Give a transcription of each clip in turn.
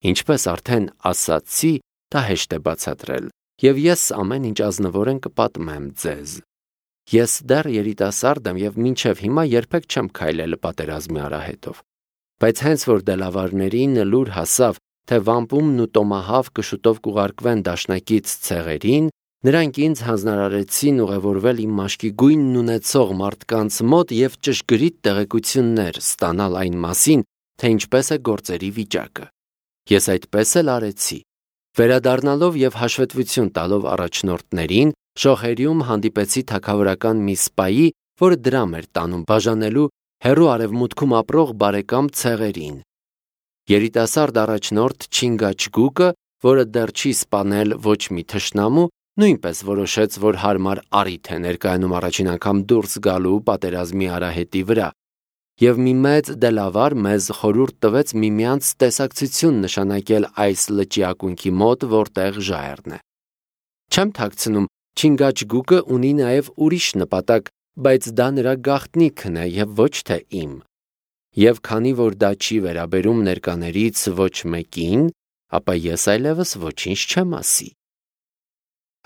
Ինչպես արդեն ասացի, դա հեշտ է բացատրել, և ես ամեն ինչ ազնվորեն կպատմեմ ձեզ։ Ես դեռ երիտասարդ եմ և մինչև հիմա երբեք չեմ քայլել պատերազմի արահետով։ Բայց հենց որ դելավարներին լուր հասավ, թե վամպումն ու տոմահավկը շուտով կուղարկվեն դաշնակից ցեղերին, նրանք ինձ հանձնարարեցին ուղևորվել իմ մաշկի գույնն ունեցող մարդկանց մոտ և ճշգրիտ տեղեկություններ ստանալ այն մասին, թե ինչպես է գործերի վիճակը։ Ես այդպես էլ արեցի։ Վերադառնալով և հաշվետվություն տալով առաջնորդներին, Շոխերիում հանդիպեցի թագավորական մի սպայի, որը դրամ էր տանում բաժանելու հեռու արևմուտքում ապրող բարեկամ ցեղերին։ Երիտասարդ առաջնորդ Չինգաչգուկը, որը դեռ չի սպանել ոչ մի թշնամու, նույնպես որոշեց, որ հարմար առիթ է ներկայանում առաջին անգամ դուրս գալու պատերազմի արահետի վրա, և մի մեծ դելավար մեզ խորհուրդ տվեց միմյանց տեսակցություն նշանակել այս լճի ակունքի մոտ, որտեղ ժայռն է։ Չեմ թաքցնում, Չինգաչգուկը ունի նաև ուրիշ նպատակ, բայց դա նրա գաղտնիքն է և ոչ թե իմ։ Եվ քանի որ դա չի վերաբերում ներկաներից ոչ մեկին, ապա ես այլևս ոչինչ չեմ ասի։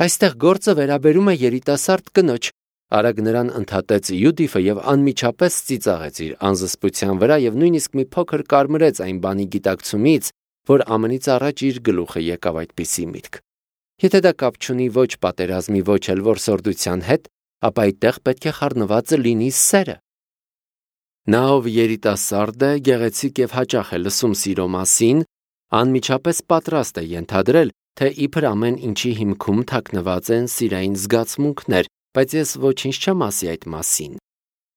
Այստեղ գործը վերաբերում է երիտասարդ կնոջ, արագ նրան ընդհատեց Յուդիֆը և անմիջապես ծիծաղեց իր անզսպության վրա և նույնիսկ մի փոքր կարմրեց այն բանի գիտակցումից, որ ամենից առաջ իր գլուխը եկավ այդպիսի միտք։ Եթե դա կապ չունի ոչ պատերազմի, ոչ էլ որսորդության հետ, ապա այդտեղ պետք է խառնված լինի սերը։ Նա, ով երիտասարդ է, գեղեցիկ և հաճախ է լսում սիրո մասին, անմիջապես պատրաստ է ենթադրել, թե իբր ամեն ինչի հիմքում թաքնված են սիրային զգացմունքներ, բայց ես ոչինչ չեմ ասի այդ մասին։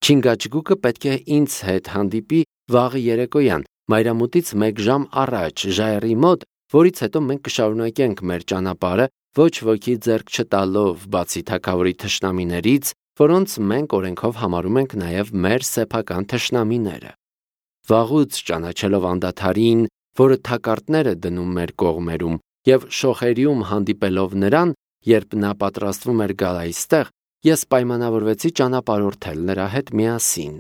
Չինգաչգուկը պետք է ինձ հետ հանդիպի վաղը երեկոյան, մայրամուտից 1 ժամ առաջ, ժայռի մոտ, որից հետո մենք կշարունակենք մեր ճանապարհը, ոչ ոքի ձեռք չտալով, բացի թագավորի թշնամիներից, որոնց մենք օրենքով համարում ենք նաև մեր սեփական թշնամիները։ Վաղուց ճանաչելով անդադարին, որը թակարդներ է դնում մեր կողմերում, և Շոխերիում հանդիպելով նրան, երբ նա պատրաստվում էր գալ այստեղ, ես պայմանավորվեցի ճանապարհորդել նրա հետ միասին։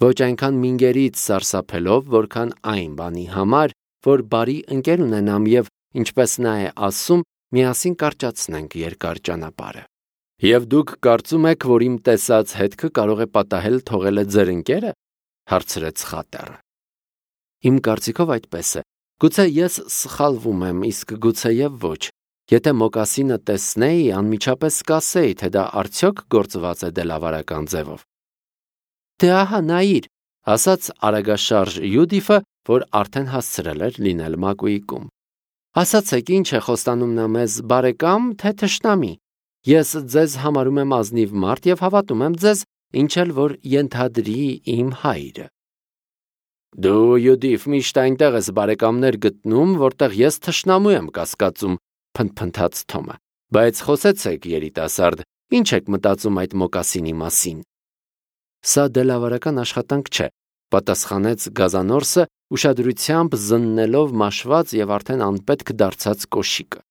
Ոչ այնքան մինգերից սարսափելով, որքան այն բանի համար, որ բարի ընկեր ունենամ և, ինչպես նա է ասում, միասին կարճացնենք երկար ճանապարհը։ Եվ դուք կարծում եք, որ իմ տեսած հետքը կարող է պատահել թողել է ձեր ընկերը, հարցրեց խատեռը։ Իմ կարծիքով այդպես է։ Գուցե ես սխալվում եմ, իսկ գուցեև ոչ։ Եթե մոկասինը տեսնեի, անմիջապես կասեի, թե դա արդյոք գործված է դելավարական ձևով։ Դե ահա նայիր, ասաց արագաշարժ Յուդիֆը, որ արդեն հասցրել էր լինել մակույկում։ Ասացեք, ինչ է խոստանում նա մեզ, բարեկամ, թե թշնամի։ Ես ձեզ համարում եմ ազնիվ մարդ և հավատում եմ ձեզ, ինչ էլ որ ենթադրի իմ հայրը։ Դու, Յուդիֆ, միշտ այնտեղ ես բարեկամներ գտնում, որտեղ ես թշնամու եմ կասկածում, փնթփնթաց Թոմը։ Բայց խոսեցեք, երիտասարդ, ինչ եք մտածում այդ մոկասինի մասին։ Սա դելավարական աշխատանք չէ, պատասխանեց Գազանորսը, ուշադրությամբ զննելով մաշված և արդեն անպետք դարձած կոշիկը։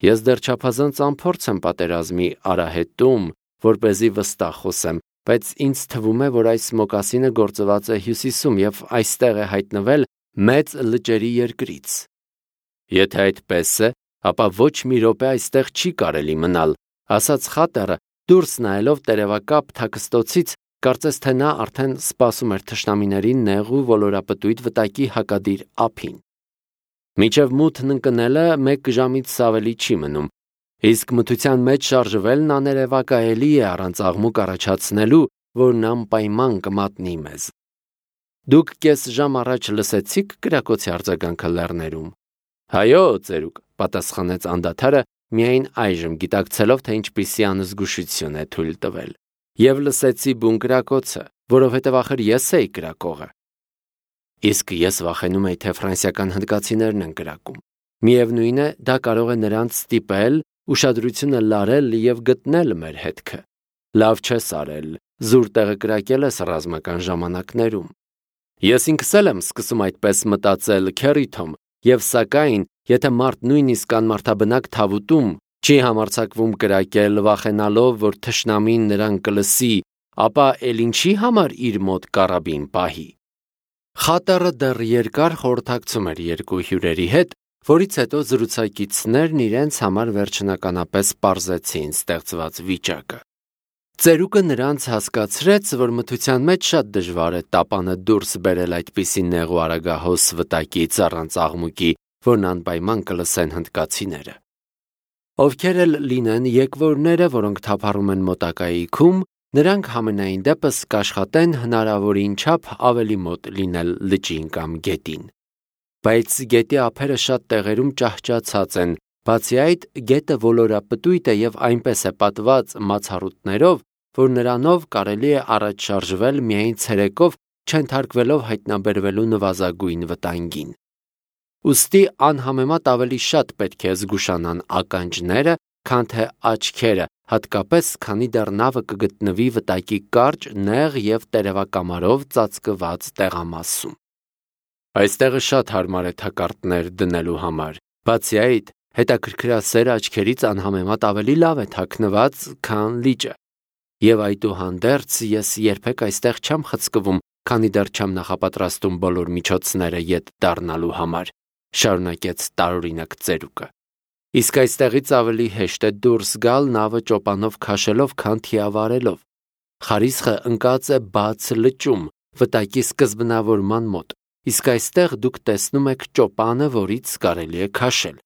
Ես դեռ չափազանց անփորձ եմ պատերազմի արահետում, որպեսզի վստահ խոսեմ, բայց ինձ թվում է, որ այս մոկասինը գործված է Հյուսիսում և այստեղ է հայտնվել մեծ լճերի երկրից։ Եթե այդպես է, ապա ոչ մի րոպե այստեղ չի կարելի մնալ, ասաց խատեռը, դուրս նայելով տերևակապ թաքստոցից, կարծես թե նա արդեն սպասում էր թշնամիների նեղ ու ոլորապտույտ վտակի հակադիր ափին։ Մինչև մութն ընկնելը 1 ժամից ավելի չի մնում, իսկ մթության մեջ շարժվելն աներևակայելի է առանց աղմուկ առաջացնելու, որն անպայման կմատնի մեզ։ Դուք կես ժամ առաջ լսեցի՞ք կրակոցի արձագանքը լեռներում։ Հայո, ծերուկ, պատասխանեց անդադարը, միայն այժմ գիտակցելով, թե ինչպիսի անզգուշություն է թույլ տվել։ Եվ լսեցի բուն կրակոցը, որովհետև ախր ես էի կրակողը։ Իսկ ես վախենում էի, թե ֆրանսիական հնդկացիներն են կրակում։ Միևնույն է, դա կարող է նրանց ստիպել, ուշադրությունը լարել և գտնել մեր հետքը։ Լավ չես արել, զուր տեղը կրակել ես ռազմական ժամանակներում։ Ես ինքս էլ եմ սկսում այդպես մտածել, քեռի Թոմ, և սակայն, եթե մարդ նույնիսկ անմարդաբնակ թավուտում չի համարձակվում կրակել, վախենալով, որ թշնամին նրան կլսի, ապա էլ ինչի համար իր մոտ կարաբին պահի։ Խատերը դեռ երկար խորհրդակցում էր երկու հյուրերի հետ, որից հետո զրուցակիցներն իրենց համար վերջնականապես պարզեցին ստեղծված վիճակը։ Ծերուկը նրանց հասկացրեց, որ մթության մեջ շատ դժվար է տապանը դուրս բերել այդպիսի նեղ ու արագահոս վտակից առանց աղմուկի, որն անպայման կլսեն հնդկացիները։ Ովքեր էլ լինեն եկվորները, որոնք թափառում են մոտակայի քում, նրանք համենայն դեպս կաշխատեն հնարավորին չափ ավելի մոտ լինել լճին կամ գետին։ Բայց գետի ափերը շատ տեղերում ճահճացած են, բացի այդ գետը ոլորապտույտ է և այնպես է պատված մացառուտներով, որ նրանով կարելի է առաջ շարժվել միայն ցերեկով, չենթարկվելով հայտնաբերվելու նվազագույն վտանգին։ Ուստի անհամեմատ ավելի շատ պետք է զգուշանան ականջները, քան թե աչքերը, հատկապես քանի դեռ նավը կգտնվի վտակի կարճ, նեղ և տերևակամարով ծածկված տեղամասում։ Այստեղը շատ հարմար է թակարդներ դնելու համար, բացի այդ, հետաքրքրասեր աչքերից անհամեմատ ավելի լավ է թաքնված, քան լիճը։ Եվ այդուհանդերձ ես երբեք այստեղ չեմ խցկվում, քանի դեռ չեմ նախապատրաստում բոլոր միջոցները ետ դառնալու համար, շարունակեց տարօրինակ ծերուկը։ Իսկ այստեղից ավելի հեշտ է դուրս գալ նավը ճոպանով քաշելով, քան թիավարելով։ Խարիսխը ընկած է բաց լճում, վտակի սկզբնավորման մոտ, իսկ այստեղ դուք տեսնում եք ճոպանը, որից կարելի է քաշել։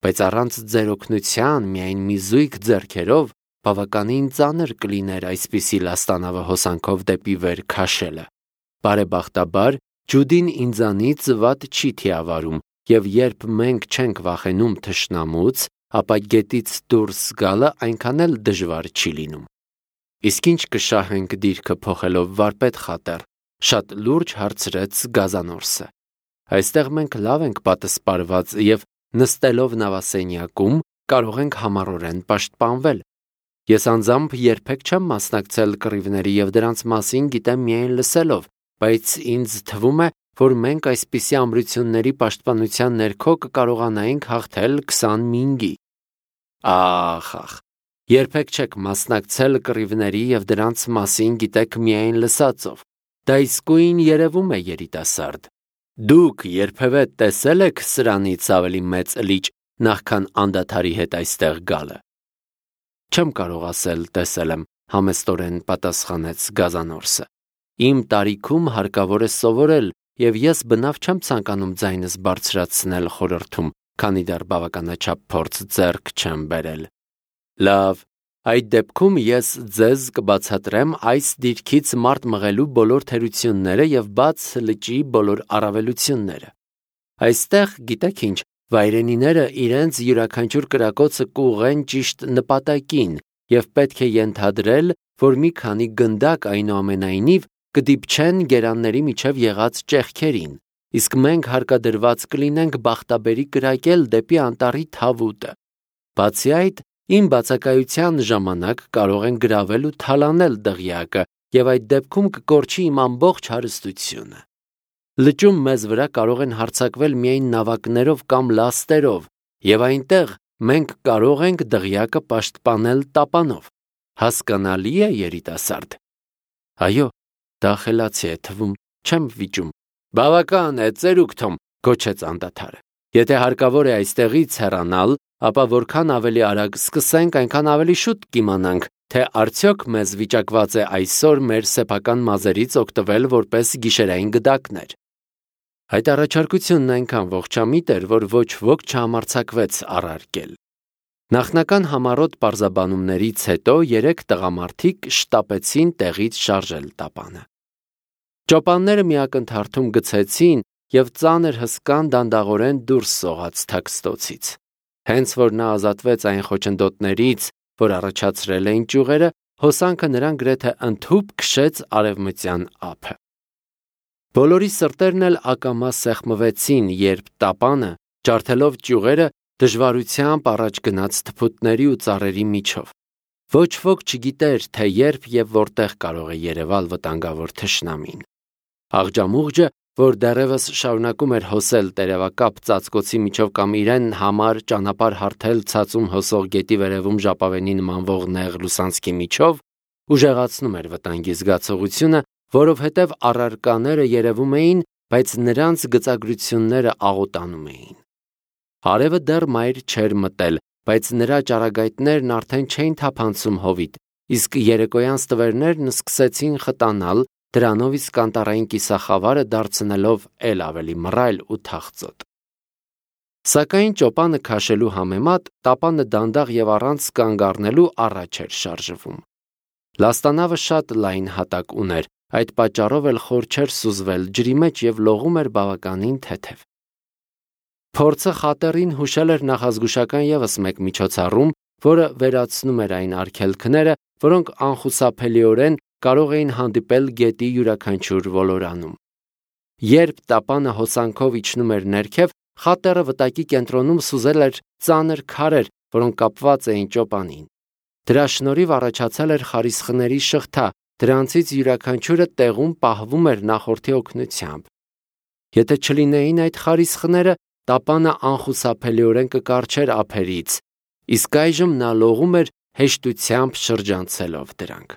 Բայց առանց ձեր օգնության, միայն մի զույգ ձեռքերով, բավականին ծանր կլիներ այսպիսի լաստանավը հոսանքով դեպի վեր քաշելը։ Բարեբախտաբար, ջուդին ինձանից վատ չի թիավարում, և երբ մենք չենք վախենում թշնամուց, ապա գետից դուրս գալը այնքան էլ դժվար չի լինում։ Իսկ ինչ կշահենք դիրքը փոխելով, վարպետ Խատեր, շատ լուրջ հարցրեց Գազանորսը։ Այստեղ մենք լավ ենք պատսպարված և նստելով նավասենյակում կարող ենք համառորեն պաշտպանվել։ Ես անձամբ երբեք չեմ մասնակցել կռիվների և դրանց մասին գիտեմ միայն լսելով, բայց ինձ թվում է, որ մենք այսպիսի ամրությունների պաշտպանության ներքո կկարողանայինք հաղթել 20 մինգի։ Ախ, երբեք չեք մասնակցել կռիվների և դրանց մասին գիտեք միայն լսածով։ Դա իսկույն երևում է, երիտասարդ։ Դուք երբևէ տեսել եք սրանից ավելի մեծ լիճ, նախքան անդադարի հետ այստեղ գալը։ Չեմ կարող ասել տեսել եմ, համեստորեն պատասխանեց Գազանորսը։ Իմ տարիքում հարկավոր է սովորել, և ես բնավ չեմ ցանկանում ձայնս բարձրացնել խորհրդում, քանի դեռ բավականաչափ փորձ ձեռք չեմ բերել։ Լավ, այդ դեպքում ես ձեզ կբացատրեմ այս դիրքից մարդ մղելու բոլոր թերությունները և բաց լճի բոլոր առավելությունները։ Այստեղ, գիտեք ինչ, վայրենիները իրենց յուրաքանչյուր կրակոցը կուղղեն ճիշտ նպատակին, և պետք է ենթադրել, որ մի քանի գնդակ այնուամենայնիվ կդիպչեն գերանների միջև եղած ճեղքերին, իսկ մենք հարկադրված կլինենք բախտաբերի կրակել դեպի անտառի թավուտը։ Բացի այդ, իմ բացակայության ժամանակ կարող են գրավել ու թալանել դղյակը, և այդ դեպքում կկորչի իմ ամբողջ հարստությունը։ Լճում մեզ վրա կարող են հարձակվել միայն նավակներով կամ լաստերով, և այնտեղ մենք կարող ենք դղյակը պաշտպանել տապանով։ Հասկանալի է, երիտասարդ։ Այո, դա խելացի է թվում, չեմ վիճում։ Բավական է, ծերուկ Թոմ, գոչեց անդադարը։ Եթե հարկավոր է այստեղից հեռանալ, ապա որքան ավելի արագ սկսենք, այնքան ավելի շուտ կիմանանք, թե արդյոք մեզ վիճակված է այսօր մեր սեփական մազերից օգտվել որպես գիշերային գդակներ։ Այդ առաջարկությունն այնքան ողջամիտ էր, որ ոչ ոք չհամարձակվեց առարկել։ Նախնական համառոտ պարզաբանումներից հետո 3 տղամարդիկ շտապեցին տեղից շարժել տապանը։ Ճոպանները մի ակնթարթում գցեցին և ծանր հսկան դանդաղորեն դուրս սողաց թաքստոցից։ Հենց որ նա ազատվեց այն խոչընդոտներից, որ առաջացրել էին ճյուղերը, հոսանքը նրան գրեթե ընդհուպ քշեց արևմտյան ափը։ Բոլորի սրտերն էլ ակամա սեղմվեցին, երբ տապանը, ջարդելով ճյուղերը, դժվարությամբ առաջ գնաց թփուտների ու ծառերի միջով։ Ոչ ոք չգիտեր, թե երբ և որտեղ կարող է երևալ վտանգավոր թշնամին։ Աղջամուղջը, որ դեռևս շարունակում էր հոսել տերևակապ ծածկոցի միջով կամ իրեն համար ճանապարհ հարթել ցածում հոսող գետի վերևում ժապավենի նմանվող նեղ լուսանցքի միջով, ուժեղացնում էր վտանգի զգացողությունը, որովհետև առարկաները երևում էին բայց նրանց գծագրությունները աղոտանում էին։ Արևը դեռ մայր չէր մտել, բայց նրա ճառագայթներն արդեն չէին թափանցում հովիտ, իսկ երեկոյան ստվերներն սկսեցին խտանալ, դրանով իսկ անտառային կիսախավարը դարձնելով էլ ավելի մռայլ ու թախծոտ։ Սակայն ճոպանը քաշելու համեմատ տապանը դանդաղ եւ առանց կանգ առնելու առաջ էր շարժվում։ Լաստանավը շատ լայն հատակ ուներ, այդ պատճառով էլ խոր չէր սուզվել ջրի մեջ եւ լողում էր բավականին թեթև։ Փորձը խատերին հուշել էր նախազգուշական եւս մեկ միջոցառում, որը վերացնում էր այն արգելքները, որոնք անխուսափելիորեն կարող էին հանդիպել գետի յուրաքանչյուր ոլորանում։ Երբ տապանը հոսանքով իջնում էր ներքև, խատերը վտակի կենտրոնում սուզել էր ծանր քարեր, որոնք կապված էին ճոպանին։ Դրա շնորհիվ առաջացել էր խարիսխների շղթա, դրանցից յուրաքանչյուրը տեղում պահվում էր նախորդի օգնությամբ։ Եթե չլինեին այդ խարիսխները, տապանը անխուսափելիորեն կկառչեր ափերից, իսկ այժմ նա լողում էր հեշտությամբ շրջանցելով դրանք։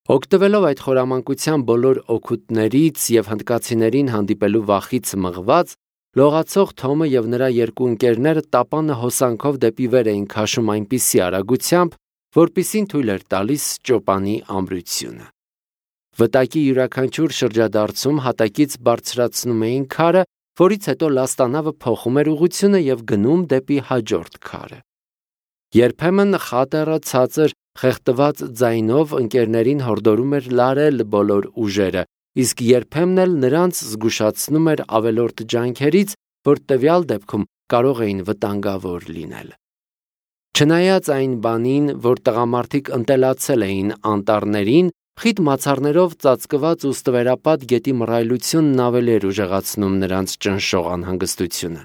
Օգտվելով այդ խորամանկության բոլոր օգուտներից եւ հնդկացիներին հանդիպելու վախից մղված, լողացող Թոմը եւ նրա երկու ընկերները տապանը հոսանքով դեպի վեր էին քաշում այնպիսի արագությամբ, որպիսին թույլ էր տալիս ճոպանի ամրությունը։ Վտակի յուրաքանչյուր շրջադարձում հատակից բարձրացնում էին քարը, որից հետո լաստանավը փոխում էր ուղղությունը եւ գնում դեպի հաջորդ քարը։ Երբեմն խատերը ցածր խեղդված ձայնով ընկերներին հորդորում էր լարել բոլոր ուժերը, իսկ երբեմն էլ նրանց զգուշացնում էր ավելորդ ջանքերից, որ տվյալ դեպքում կարող էին վտանգավոր լինել։ Չնայած այն բանին, որ տղամարդիկ ընտելացել էին անտառներին, խիտ մացառներով ծածկված ու ստվերապատ գետի մռայլությունն ավելի էր ուժեղացնում նրանց ճնշող անհանգստությունը։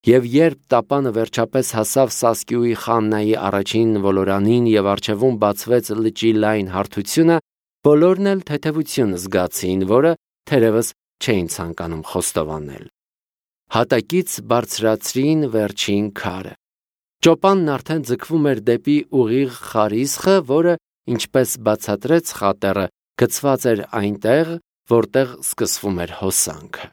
Եվ երբ տապանը վերջապես հասավ Սասկյուի Խաննայի առաջին ոլորանին եւ առջևում բացվեց լճի լայն հարթությունը, բոլորն էլ թեթևություն զգացին, որը թերևս չէին ցանկանում խոստովանել։ Հատակից բարձրացրին վերջին քարը։ Ճոպանն արդեն ձգվում էր դեպի ուղիղ խարիսխը, որը, ինչպես բացատրեց խատերը, գծված էր այնտեղ, որտեղ սկսվում էր հոսանքը։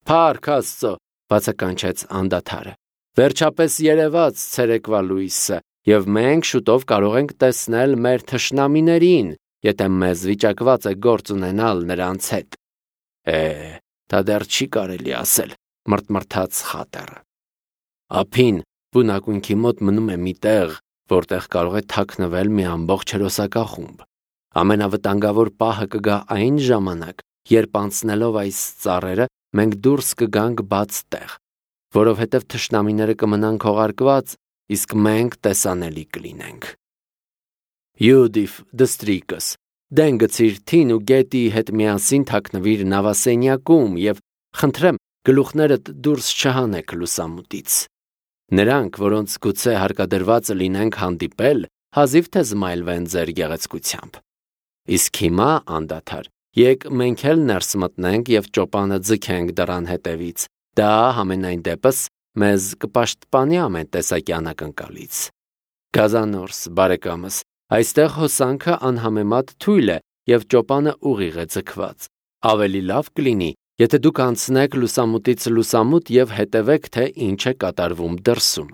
«Փառք Աստծո», բացականչեց անդադարը։ «Վերջապես երևաց ցերեկվա լույսը, եւ մենք շուտով կարող ենք տեսնել մեր թշնամիներին, եթե մեզ վիճակված է գործ ունենալ նրանց հետ»։ Դա դեռ չի կարելի ասել, մռթմռթաց խատերը։ Ափին բունակույնքի մոտ մնում է մի տեղ, որտեղ կարող է թաքնվել մի ամբողջ հերոսակախումբ։ Ամենավտանգավոր պահը կգա այն ժամանակ, երբ անցնելով այս ծառերը մենք դուրս կգանք բաց տեղ, որովհետև թշնամիները կմնան քողարկված, իսկ մենք տեսանելի կլինենք։ Յուդիֆ դստրիկս, դեն գցիր թին ու գետի հետ միասին թաքնվիր նավասենյակում եւ խնդրեմ գլուխներդ դուրս չհանեք լուսամուտից։ Նրանք, որոնց գուցե հարկադրված լինենք հանդիպել, հազիվ թե զմայլվեն ձեր գեղեցկությամբ։ Իսկ հիմա անդադար, եկ մենք էլ ներս մտնենք եւ ճոպանը ձգենք դռան հետևից։ Դա համենայն դեպս մեզ կպաշտպանի ամեն տեսակի անակնկալից։ Գազանորս, բարեկամս, այստեղ հոսանքը անհամեմատ թույլ է եւ ճոպանը ուղիղ է ձգված։ Ավելի լավ կլինի, եթե դուք անցնեք լուսամուտից լուսամուտ եւ հետևեք, թե ինչ է կատարվում դրսում։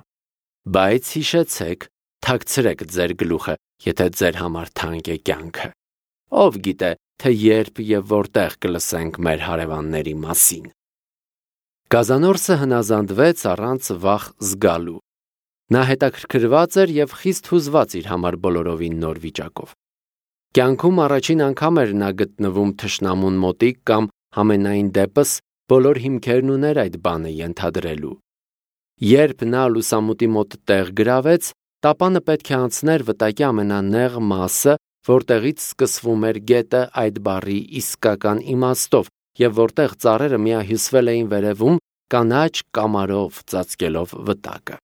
Բայց հիշեցեք, թաքցրեք ձեր գլուխը, եթե ձեր համար թանկ է կյանքը։ Ով գիտե, թե երբ եւ որտեղ կլսենք մեր հարևանների մասին։ Գազանորսը հնազանդվեց առանց վախ զգալու։ Նա հետաքրքրված էր եւ խիստ հուզված իր համար բոլորովին նոր վիճակով։ Կյանքում առաջին անգամ էր նա գտնվում թշնամուն մոտիկ կամ համենայն դեպս բոլոր հիմքերն ուներ այդ բանը ենթադրելու։ Երբ նա լուսամուտի մոտ տեղ գրավեց, տապանը պետք է անցներ վտակի ամենանեղ մասը, որտեղից սկսվում էր գետը այդ բառի իսկական իմաստով եւ որտեղ ծառերը միահյուսվել էին վերևում կանաչ կամարով ծածկելով վտակը։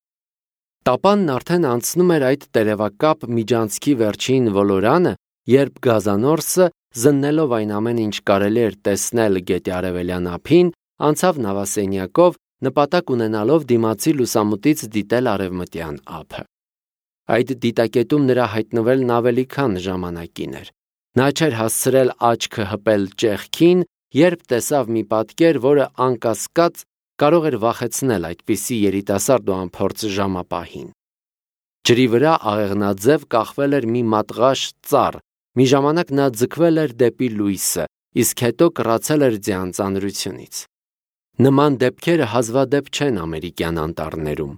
Տապանն արդեն անցնում էր այդ տերևակապ միջանցքի վերջին ոլորանը, երբ Գազանորսը, զննելով այն ամեն ինչ կարելի էր տեսնել գետի արևելյան ափին, անցավ նավասենյակով, նպատակ ունենալով դիմացի լուսամուտից դիտել արևմտյան ափը։ Այդ դիտակետում նրա հայտնվելն ավելի քան ժամանակին էր։ Նա չէր հասցրել աչքը հպել ճեղքին երբ տեսավ մի պատկեր, որը անկասկած կարող էր վախեցնել այդպիսի երիտասարդ ու անփորձ ժամապահին։ Ջրի վրա աղեղնաձև կախվել էր մի մատղաշ ծառ, մի ժամանակ նա ձգվել էր դեպի լույսը, իսկ հետո կռացել էր ձյան ծանրությունից։ Նման դեպքերը հազվադեպ չեն ամերիկյան անտառներում։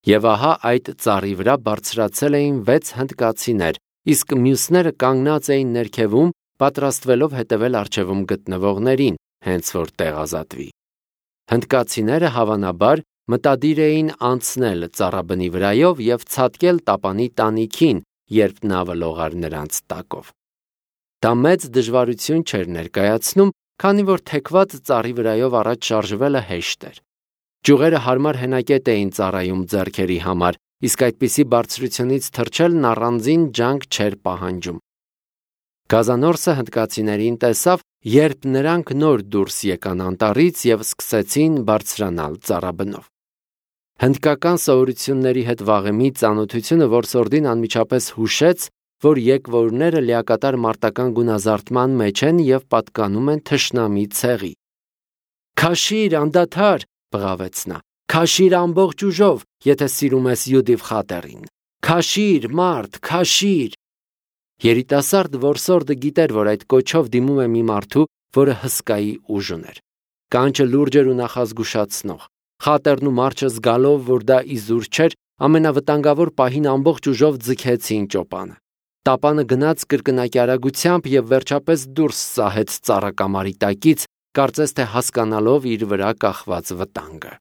Եվ ահա այդ ծառի վրա բարձրացել էին 6 հնդկացիներ, իսկ մյուսները կանգնած էին ներքևում, պատրաստվելով հետևել առջևում գտնվողներին, հենց որ տեղ ազատվի։ Հնդկացիները հավանաբար մտադիր էին անցնել ծառաբնի վրայով և ցատկել տապանի տանիքին, երբ նավը լողար նրանց տակով։ Դա մեծ դժվարություն չէր ներկայացնում, քանի որ թեքված ծառի վրայով առաջ շարժվելը հեշտ էր։ Ճյուղերը հարմար հենակետ էին ծառայում ձեռքերի համար, իսկ այդպիսի բարձրությունից թռչելն առանձին ջանք չէր պահանջում։ Գազանորսը հնդկացիներին տեսավ, երբ նրանք նոր դուրս եկան անտառից և սկսեցին բարձրանալ ծառաբնով։ Հնդկական սովորությունների հետ վաղեմի ծանոթությունը որսորդին անմիջապես հուշեց, որ եկվորները լիակատար մարտական գունազարդման մեջ են և պատկանում են թշնամի ցեղի։ «Քաշիր, անդադար», բղավեց նա, «քաշիր ամբողջ ուժով, եթե սիրում ես Յուդիվ Խատերին, քաշիր, մարդ, քաշիր»։ Երիտասարդ որսորդը գիտեր, որ այդ կոչով դիմում է մի մարդու, որը հսկայի ուժ ուներ։ Կանչը լուրջ էր ու նախազգուշացնող։ Խատերն ու մարչը զգալով, որ դա իզուր չէր, ամենավտանգավոր պահին ամբողջ ուժով ձգեցին ճոպանը։ Տապանը գնաց կրկնակի արագությամբ և վերջապես դուրս սահեց ծառակամարի տակից, կարծես թե հասկանալով իր վրա կախված վտանգը։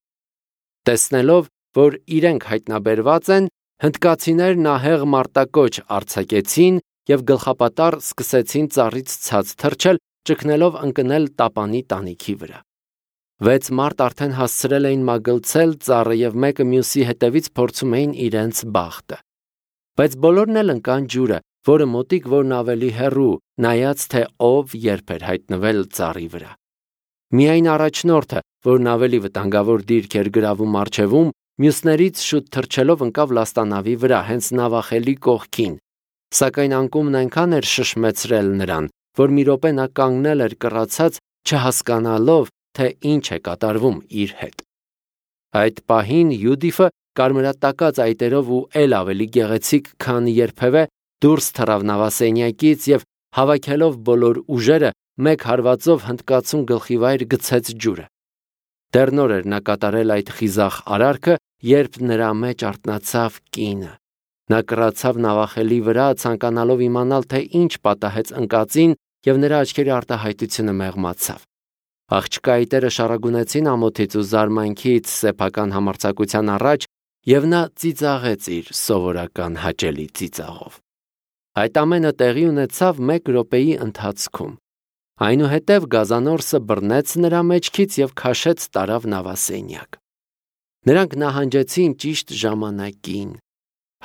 Տեսնելով, որ իրենք հայտնաբերված են, հնդկացիներն ահեղ մարտակոչ արձակեցին և գլխապատառ սկսեցին ծառից ցած թռչել, ճգնելով ընկնել տապանի տանիքի վրա։ 6 մարդ արդեն հասցրել էին մագլցել ծառը և մեկը մյուսի հետևից փորձում էին իրենց բախտը։ Բայց բոլորն էլ ընկան ջուրը, որը մոտիկ որն ավելի հեռու, նայած թե ով երբ էր հայտնվել ծառի վրա։ Միայն առաջնորդը, որն ավելի վտանգավոր դիրք էր գրավում առջևում, մյուսներից շուտ թռչելով ընկավ լաստանավի վրա, հենց նավախելի կողքին։ Սակայն անկումն այնքան էր շշմեցրել նրան, որ մի րոպե նա կանգնել էր կռացած, չհասկանալով, թե ինչ է կատարվում իր հետ։ Այդ պահին Յուդիֆը կարմրատակած այտերով ու էլ ավելի գեղեցիկ, քան երբևէ, դուրս թռավ նավասենյակից և հավաքելով բոլոր ուժերը, մեկ հարվածով հնդկացուն գլխիվայր գցեց ջուրը։ Դեռ նոր էր նա կատարել այդ խիզախ արարքը, երբ նրա մեջ արթնացավ կինը։ Նա կռացավ նավախելի վրա, ցանկանալով իմանալ, թե ինչ պատահեց ընկածին, և նրա աչքերի արտահայտությունը մեղմացավ։ Աղջկա այտերը շառագունեցին ամոթից ու զարմանքից սեփական համարձակության առաջ, և նա ծիծաղեց իր սովորական հաճելի ծիծաղով։ Այդ ամենը տեղի ունեցավ 1 րոպեի ընթացքում։ Այնուհետև գազանորսը բռնեց նրա մեջքից և քաշեց տարավ նավասենյակ։ Նրանք նահանջեցին ճիշտ ժամանակին։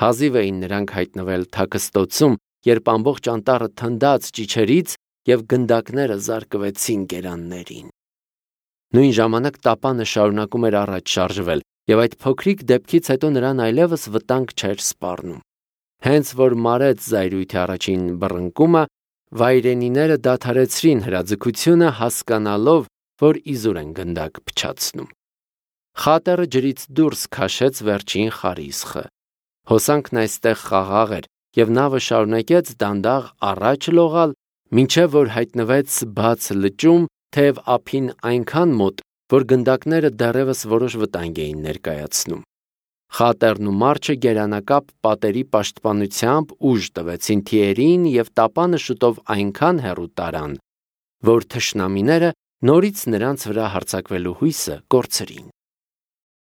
Հազիվ էին նրանք հայտնվել թաքստոցում, երբ ամբողջ անտառը թնդաց ճիչերից և գնդակները զարկվեցին գերաններին։ Նույն ժամանակ տապանը շարունակում էր առաջ շարժվել, և այդ փոքրիկ դեպքից հետո նրան այլևս վտանգ չէր սպառնում։ Հենց որ մարեց զայրույթի առաջին բռնկումը, վայրենիները դադարեցրին հրաձգությունը, հասկանալով, որ իզուր են գնդակ փչացնում։ Խատերը ջրից դուրս քաշեց վերջին խարիսխը։ Հոսանքն այստեղ խաղաղ էր, և նավը շարունակեց դանդաղ առաջ լողալ, մինչև որ հայտնվեց բաց լճում, թեև ափին այնքան մոտ, որ գնդակները դեռևս որոշ վտանգ էին ներկայացնում։ Խատերն ու մարչը գերանակապ պատերի պաշտպանությամբ ուժ տվեցին թիերին և տապանը շուտով այնքան հեռու տարան, որ թշնամիները նորից նրանց վրա հարձակվելու հույսը կորցրին։